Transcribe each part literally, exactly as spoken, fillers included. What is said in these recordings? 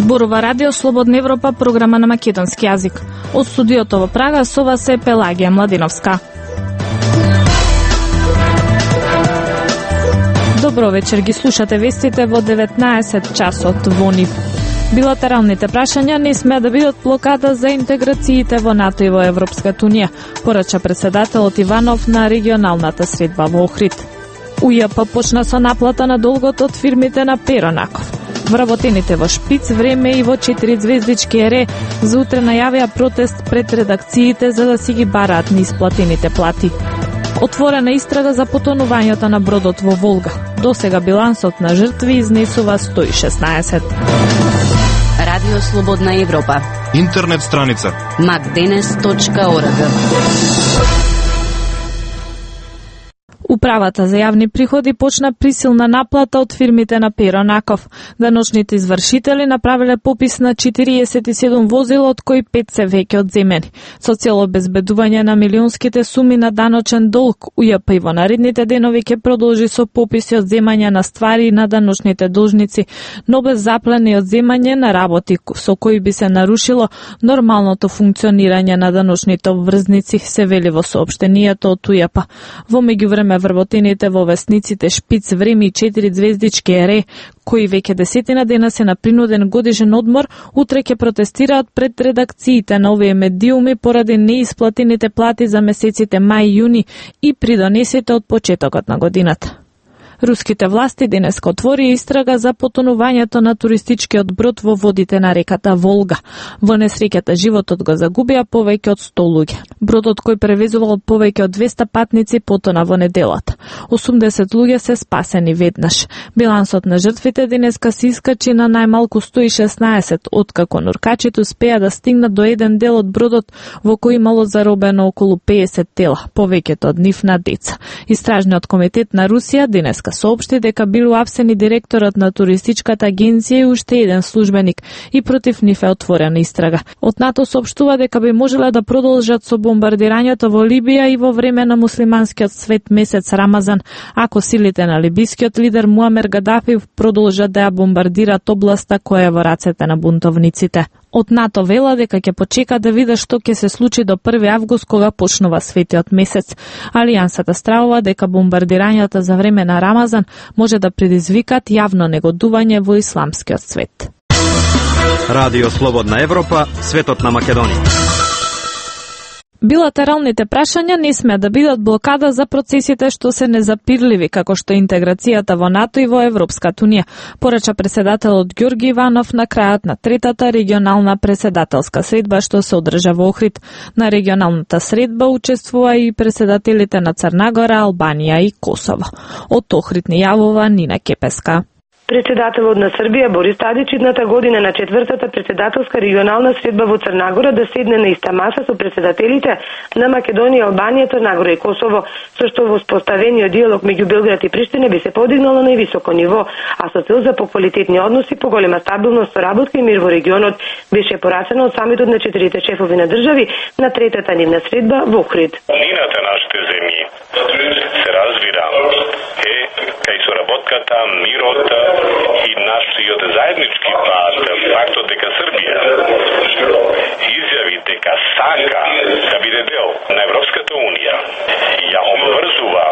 Зборува Радио Слободна Европа, програма на македонски јазик. Од студиото во Прага со вас е Пелагија Младиновска. Добро вечер, ги слушате вестите во деветнаесет часот во НИВ. Билатералните прашања не смеа да бидат блокада за интеграциите во НАТО и во Европската унија, порача председателот Иванов на регионалната средба во Охрид. УЈП почна со наплата на долгот од фирмите на Перо Наков. Вработените во Шпиц, Време и во четири звездички ЕРЕ за утре најавија протест пред редакциите за да си ги бараат неисплатените плати. Отворена истрага за потонувањето на бродот во Волга. Досега билансот на жртви изнесува сто и шеснаесет. Радио Слободна Европа. Интернет страница макденес точка орг. Управата за јавни приходи почна присилна наплата од фирмите на Перо Наков. Даночните извршители направиле попис на четириесет и седум возила, од кои пет се веќе одземени. Со цел обезбедување на милионските суми на даночен долг, УЈП и во наредните денови ќе продолжи со пописи одземање на ствари на даночните должници, но без заплена и одземање на работи со кои би се нарушило нормалното функционирање на даночните обврзници, се вели во соопштението од УЈП. Во меѓувреме вработените во весниците Шпиц, Време и четири звездички ЕРЕ, кои веќе десетина дена се на принуден годишен одмор, утре ќе протестираат пред редакциите на овие медиуми поради неисплатените плати за месеците мај и јуни и придонесите од почетокот на годината. Руските власти денеска отвори истрага за потонувањето на туристичкиот брод во водите на реката Волга. Во несреќата животот го загубија повеќе од сто луѓе. Бродот кој превезувал повеќе од двеста патници потона во неделата. осумдесет луѓе се спасени веднаш. Билансот на жртвите денеска се искачи на најмалку сто и шеснаесет, откако нуркачите успеа да стигнат до еден дел од бродот во кој имало заробено околу пеесет тела, повеќето од нив на деца. Истражниот комитет на Русија денеска соопшти дека бил уапсени директорот на туристичката агенција и уште еден службеник и против нив е отворена истрага. Од НАТО соопштува дека би можеле да продолжат со бомбардирањето во Либија и во време на муслиманскиот свет месец Рамазан, ако силите на либискиот лидер Муамер Гадафи продолжат да ја бомбардираат областа која е во рацете на бунтовниците. Од НАТО вела дека ќе почека да види што ќе се случи до први август кога почнува светиот месец. Алијансата стравува дека бомбардирањата за време на Рамазан може да предизвикат јавно негодување во исламскиот свет. Радио Слободна Европа, светот на Македонија. Билатералните прашања не смеа да бидат блокада за процесите што се незапирливи, како што интеграцијата во НАТО и во Европската унија, порача председателот Ѓорги Иванов на крајот на третата регионална председателска средба што се одржа во Охрид. На регионалната средба учествува и председателите на Црна Гора, Албанија и Косово. Од Охрид ни јавува Нина Кепеска. Председателот на Србија Борис Тадич идната година на четвртата председателска регионална средба во Црна Гора да седне на иста маса со председателите на Македонија, Албанија, Црна Гора и Косово, со што во споставениот диалог меѓу Белград и Приштина би се подигнало на највисоко ниво, а со цел за поквалитетни односи, поголема стабилност, соработка и мир во регионот, беше порачено од самитот на четирите шефови на држави на третата нивна средба во Охрид. Нината нашите земји се развира е кај соработката, мирот и нашиот заеднички пат, фактот дека Србија изјави дека сака да биде дел на Европската унија, ја обврзува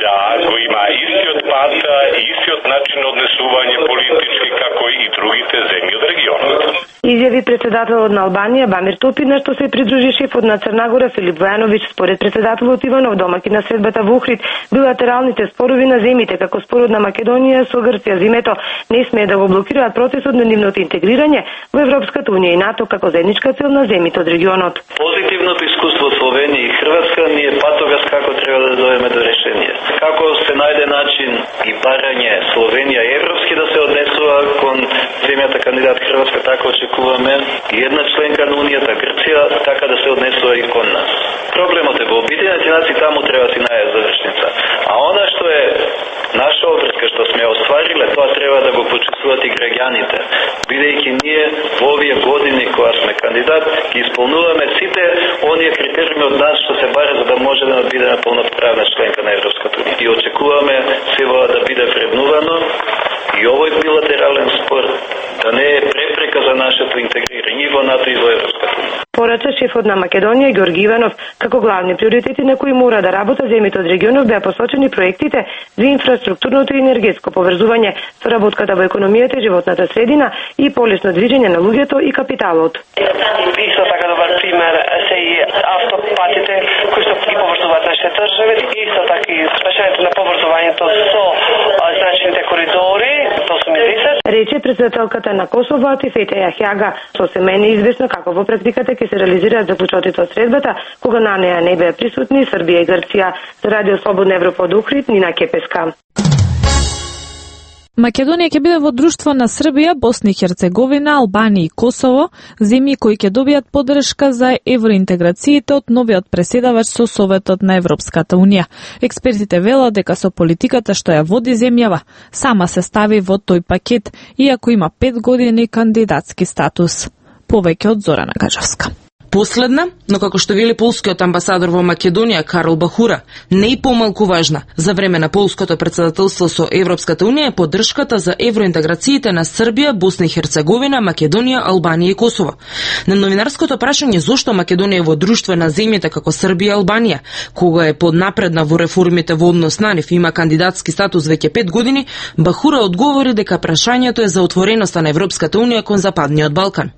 да го има истиот пат и истиот начин на однесување политички како и другите земји од регионот. Изјави председателот на Албанија Бамир Топи, на што се придружи шефот на Црна Гора Филип Војановиќ. Според председателот Иванов, домаќин на средбата во Охрид, билатералните спорови на земите, како спорот на Македонија со Грција зимето, не смее да го блокираат процесот на нивното интегрирање во Европската унија и НАТО како заедничка цел на земите од регионот. Позитивното искуство од Словенија и Хрватска ни е патогас како треба да дојдеме до решение. Како се најде начин и барање Словенија европски да се однесува кон земјата кандидат Хрватска, така очекуваме и една членка на Унијата Грција така да се однесува и кон нас. Проблемот е во Обединените нации, таму треба да си најде завршница. А она што е наша обврска што сме оствариле, тоа треба да го почувствуваат и граѓаните, бидејќи ние во овие години кога сме кандидат ги исполнуваме сите оние критериуми од нас што се баре за да може да бидеме полноправна членка на Европската унија. И очекуваме сева да биде вреднувано и овој билатерален спор да не е препрека за нашето интегрирање во НАТО и во Европската унија. Порача шефот на Македонија Ѓорги Иванов, како главни приоритети на кои мора да работат земјите од регионот беа посочени проектите за инфраструктурното и енергетско поврзување, соработката во економијата и животната средина и полесно движење на луѓето и капиталот. Исто така добар пример се и автопатите кои што ги поврзуваат нашите држави, исто така и спашањето на поврзувањето со значените коридори, осум и десет. Рече председателката на Косово Атифете Јахјага, сосема е неизвестно како во практиката ќе се реализираат заклучоците од средбата, кога на неа не беа присутни Србија и Грција. За Радио Слободна Европа од Охрид, Нина Кепеска. Македонија ќе биде во друштво на Србија, Босна и Херцеговина, Албанија и Косово, земји кои ќе добијат поддршка за евроинтеграциите од новиот преседавач со Советот на Европската унија. Експертите велат дека со политиката што ја води земјава, сама се стави во тој пакет, иако има пет години кандидатски статус. Повеќе од Зорана Гаджовска. Последна, но како што вели полскиот амбасадор во Македонија Карл Бахура, не и помалку важна за време на полското председателство со Европската унија е поддршката за евроинтеграциите на Србија, Босна и Херцеговина, Македонија, Албанија и Косово. На новинарското прашање зошто Македонија е во друштво на земјите како Србија и Албанија, кога е поднапредна во реформите во однос на нив и има кандидатски статус веќе пет години, Бахура одговори дека прашањето е за отвореноста на Европската унија кон Западниот Балкан.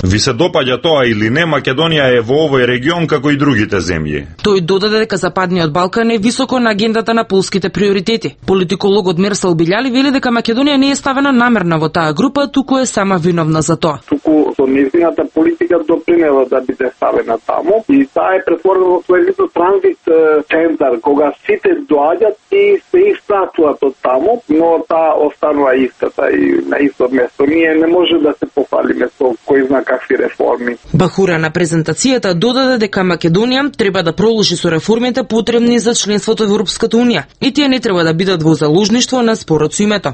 Ви се допаѓа тоа или не, Македонија е во овој регион како и другите земји. Тој додаде дека Западниот Балкан е високо на агендата на полските приоритети. Политикологот Мерсал Билјали вели дека Македонија не е ставена намерна во таа група, туку е сама виновна за тоа. Туку со нејзината политика допринела да биде ставена таму и таа е претворена во свој вид транзит центар, кога сите доаѓаат и се испратуваат од таму, но таа останува истата и на исто место. Ние не може да се пофалиме со кој зна какви реформи. Бахура на презентацијата додаде дека Македонија треба да продолжи со реформите потребни за членството во Европската унија и тие не треба да бидат во заложништво на спорот со името.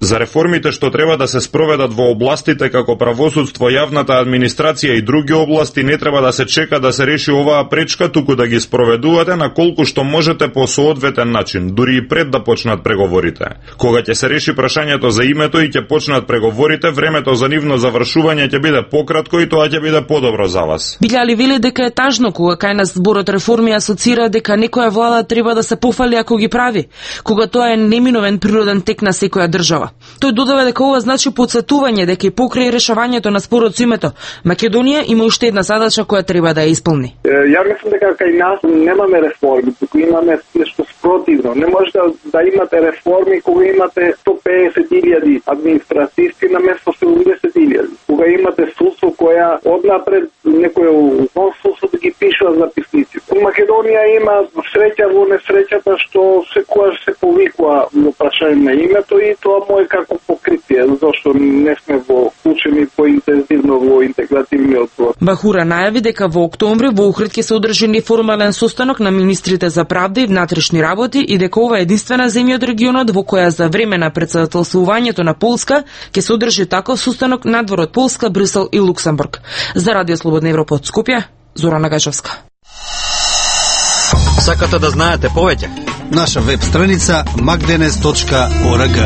За реформите што треба да се спроведат во областите како правосудство, јавната администрација и други области не треба да се чека да се реши оваа пречка, туку да ги спроведувате на колку што можете по соодветен начин, дури и пред да почнат преговорите. Кога ќе се реши прашањето за името и ќе почнат преговорите, времето за нивно завршување ќе биде пократко и тоа ќе биде подобро за вас. Билјали вели дека е тажно кога кај нас зборот реформи асоцира дека некоја влада треба да се пофали ако ги прави, кога тоа е неминовен природен тек на секоја држава. Тој додава дека ова значи потсетување дека и покрај решавањето на спорот со името, Македонија има уште една задача која треба да ја исполни. Ја мислам дека кај нас немаме реформи, туку имаме нешто спротивно. Не може да, да имате реформи кога имате сто песет илјади административци на место седумдесет илјади. Кога имате судство која однапред некој во судство да ги пишува записници. Македонија има среќа во несреќата што секогаш се повикува во прашање на името и тоа му е како покритие, зашто не сме во учени поинтензивно во интегративниот процес. Бахура најави дека во октомври во Охрид ќе се одржи неформален состанок на министрите за правда и внатрешни работи и дека ова е единствена земја од регионот во која за време на председателствувањето на Полска ќе се одржи таков состанок надвор од Полска, Брисел и Луксембург. За Радио Слободна Европа од Скопје, Зорана Гаджовска. Сакате да знаете повеќе? Наша веб страница magdenes точка org.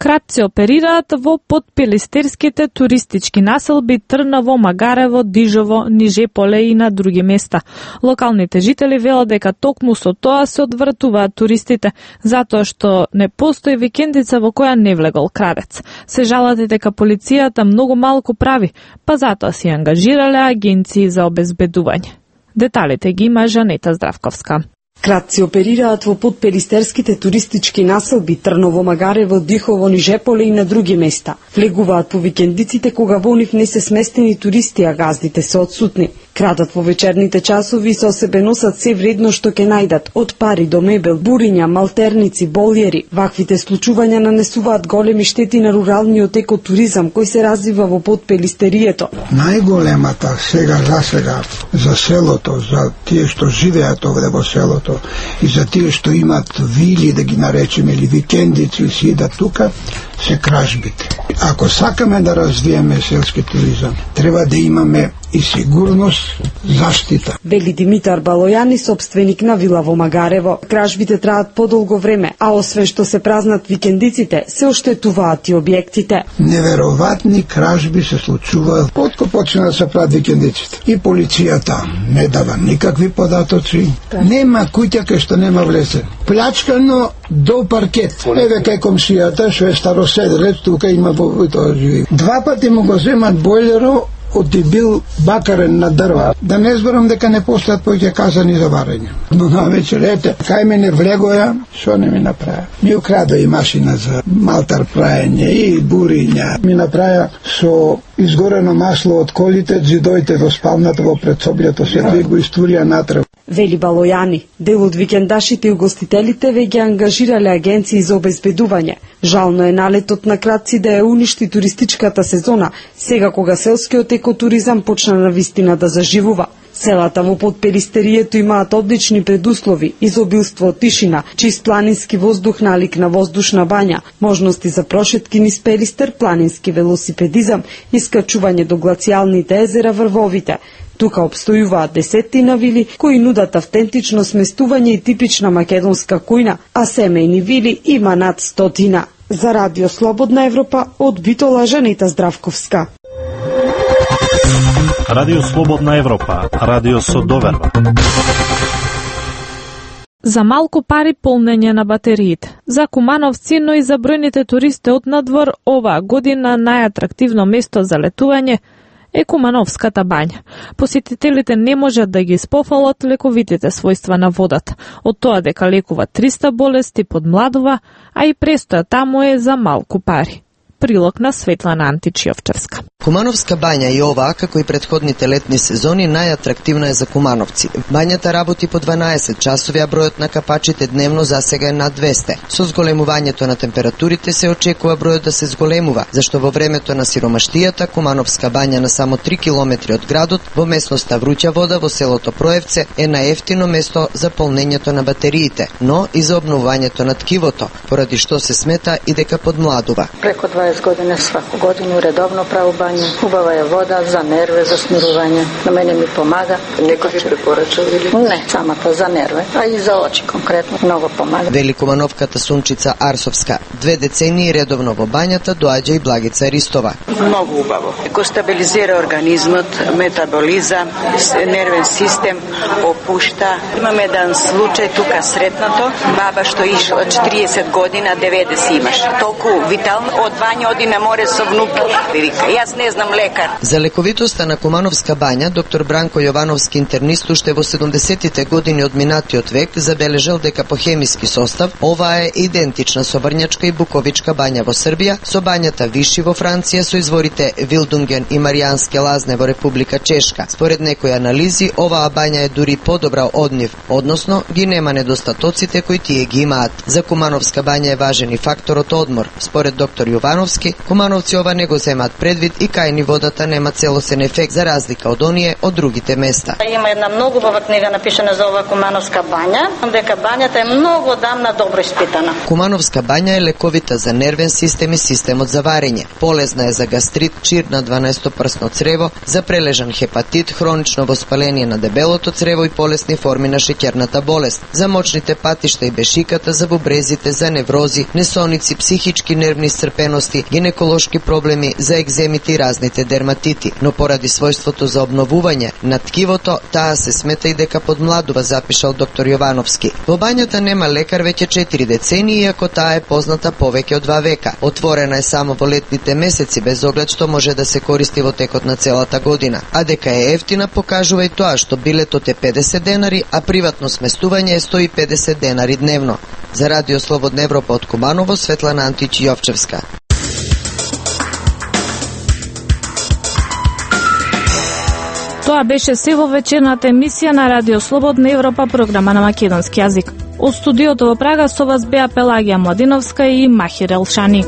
Кратци оперираат во подпилистерските туристички населби Трново, Магарево, Дижово, Нижеполе и на други места. Локалните жители велат дека токму со тоа се одвратуваат туристите, затоа што не постои викендица во која не влегол крадец. Се жалат и дека полицијата многу малку прави, па затоа си ангажирале агенции за обезбедување. Деталите ги има Жанета Здравковска. Кратци оперираат во подперистерските туристички населби Трново, Магарево, Дихово, Нижеполе и на други места. Влегуваат по викендиците кога во нив не се сместени туристи, а газдите се отсутни. Крадат во вечерните часови и со себе носат се вредно што ќе најдат, од пари до мебел, буриња, малтерници, болјери. Ваквите случувања нанесуваат големи штети на руралниот екотуризам кој се развива во подпелистерието. Најголемата сега за сега за селото, за тие што живеат овде во селото и за тие што имат вили, да ги наречеме, или викендици, си идат тука, се кражбите. Ако сакаме да развиеме селски туризам, треба да имаме и сигурност, заштита. Вели Димитар Балојани, собственик на вила во Магарево. Кражбите траат подолго време, а освен што се празнат викендиците, се оштетуваат и објектите. Неверојатни кражби се случуваат откако почна да се прават викендиците. И полицијата не дава никакви податоци. Нема куќа кај што нема влезен. Плячкано до паркет. Еве кај комшијата, што е староседелец, тука има во тоа живи. Два пати му го земат бойлеро од бил бакарен на дрва. Да не зборам дека не постојат повеќе казани за варење. Но на вечер, ете, кај мене влегоја, што не ми направи? Ми украда и машина за малтар праење и буриња. Ми направи со изгорено масло од колите, зидоите во спалната, во предсоблјето, се го истурија натрав. Вели Балојани, дел од викендашите и угостителите веќе ангажирале агенции за обезбедување. Жално е налетот на крадци да ја уништи туристичката сезона, сега кога селскиот екотуризам почна на вистина да заживува. Селата во Подперистерието имаат одлични предуслови, изобилство од тишина, чист планински воздух налик на воздушна бања, можности за прошетки низ Перистер, планински велосипедизам, искачување до глацијалните езера врвовите. Тука обстојуваат десеттина вили кои нудат автентично сместување и типична македонска кујна, а семејни вили има над стотина. За Радио Слободна Европа од Битола Жанита Здравковска. Радио Слободна Европа, радио со доверба. За малку пари полнење на батериите. За кумановци, но и за бројните туристи од надвор, оваа година најатрактивно место за летување е Кумановската бања. Посетителите не можат да ги спофалат лековитите својства на водата, од тоа дека лекува триста болести, подмладува, а и престоја таму е за малку пари. Прилог на Светлана Античиовчевска. Кумановска бања и оваа, како и претходните летни сезони, најатрактивна е за кумановци. Бањата работи по дванаесет часови, а бројот на капачите дневно засега е над двесте. Со зголемувањето на температурите се очекува бројот да се зголемува, зашто во времето на сиромаштијата Кумановска бања на само три километри од градот, во местноста Вруќа вода во селото Проевце, е најефтино место за полнењето на батериите, но и за обновувањето на ткивото, поради што се смета и дека подмладува. Преко дваесет години сваку годину редовно праву бања. Хубава е вода за нерве, за смирување. На мене ми помага. Некој ви препорачал или? Не, самата за нерве, а и за очи конкретно многу помага. Вели кумановката Сунчица Арсовска. Две децении редовно во бањата доаѓа и Благица Ристова. Многу убаво. Кој стабилизира организмот, метаболизам, нервен систем, опушта. Имаме еден случај тука сретнато, баба што ишла четириесет година, деветдесет имаш. Толку витално, од бања оди на море со внуки. Вика, јас не знам лекар. За лековитоста на Кумановска бања, доктор Бранко Јовановски, интернист, уште во седумдесеттите години од минатиот век, забележал дека по хемиски состав оваа е идентична со Врњачка и Буковичка бања во Србија, со бањата Виши во Франција, со изворите Вилдунген и Маријанске лазне во Република Чешка. Според некои анализи, оваа бања е дури подобра од нив, односно ги нема недостатоците кои тие ги имаат. За Кумановска бања е важен и факторот одмор. Според доктор Јовановски, кумановци ова не го земат предвид и кај ни водата нема целосен ефект за разлика од оние од другите места. Има една многу убава книга напишана за ова Кумановска бања, дека бањата е многу одамна добро испитана. Кумановска бања е лековита за нервен систем и системот за варење. Полезна е за гастрит, чир на дванаесетопрсно црево, за прележан хепатит, хронично воспаление на дебелото црево и полесни форми на шеќерната болест, за мочните патишта и бешиката, за бубрезите, за неврози, несоници, психички нервни исцрпености, гинеколошки проблеми, за екземите и разните дерматити, но поради својството за обновување на ткивото, таа се смета и дека подмладува, запишал доктор Јовановски. Во бањата нема лекар веќе четири децении, иако таа е позната повеќе од два века. Отворена е само во летните месеци, без оглед што може да се користи во текот на целата година. А дека е ефтина покажува и тоа што билетот е педесет денари, а приватно сместување е сто и педесет денари дневно. За Радио Слободна Европа од Куманово, Светлана Античиовчевска. Тоа беше се во вечерната емисија на Радио Слободна Европа, програма на македонски јазик. Од студиото во Прага со вас беа Пелагија Младиновска и Махир Елшани.